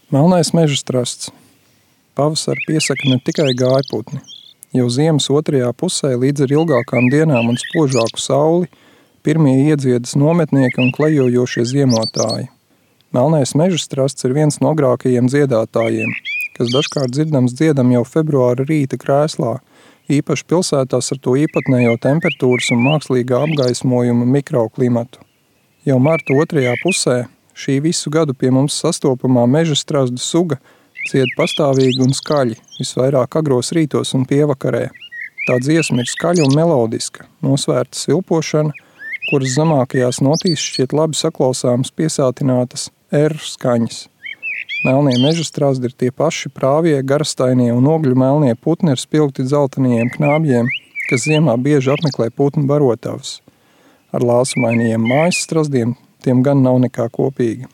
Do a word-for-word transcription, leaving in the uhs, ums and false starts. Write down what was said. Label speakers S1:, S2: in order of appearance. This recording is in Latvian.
S1: Melnais mežastrasts. Pavasari piesaka ne tikai gājputni. Jau ziemas otrajā pusē līdz ar ilgākām dienām un spožāku sauli pirmie iedziedas nometnieki un klejojošie ziemotāji. Melnais mežastrasts ir viens no agrākajiem dziedātājiem, kas dažkārt dzirdams dziedam jau februāra rīta krēslā, īpaši pilsētās ar to īpatnējo temperatūras un mākslīgā apgaismojuma mikroklimatu. Jau marta otrajā pusē šī visu gadu pie mums sastopamā mežastrazdu suga dzied pastāvīgi un skaļi, visvairāk agros rītos un pievakarē. Tā dziesma ir skaļa un melodiska, nosvērta svilpošana, kuras zemākajās notīs šķiet labi saklausāmas piesātinātas R skaņas. Melnie mežastrazdi ir tie paši prāvie, garastainie un ogļu melnie putni ar spilgti dzeltenajiem knābjiem, kas ziemā bieži apmeklē putnu barotavas. Ar lāsumainajiem mājas strazdiem tiem gan nav nekā kopīga.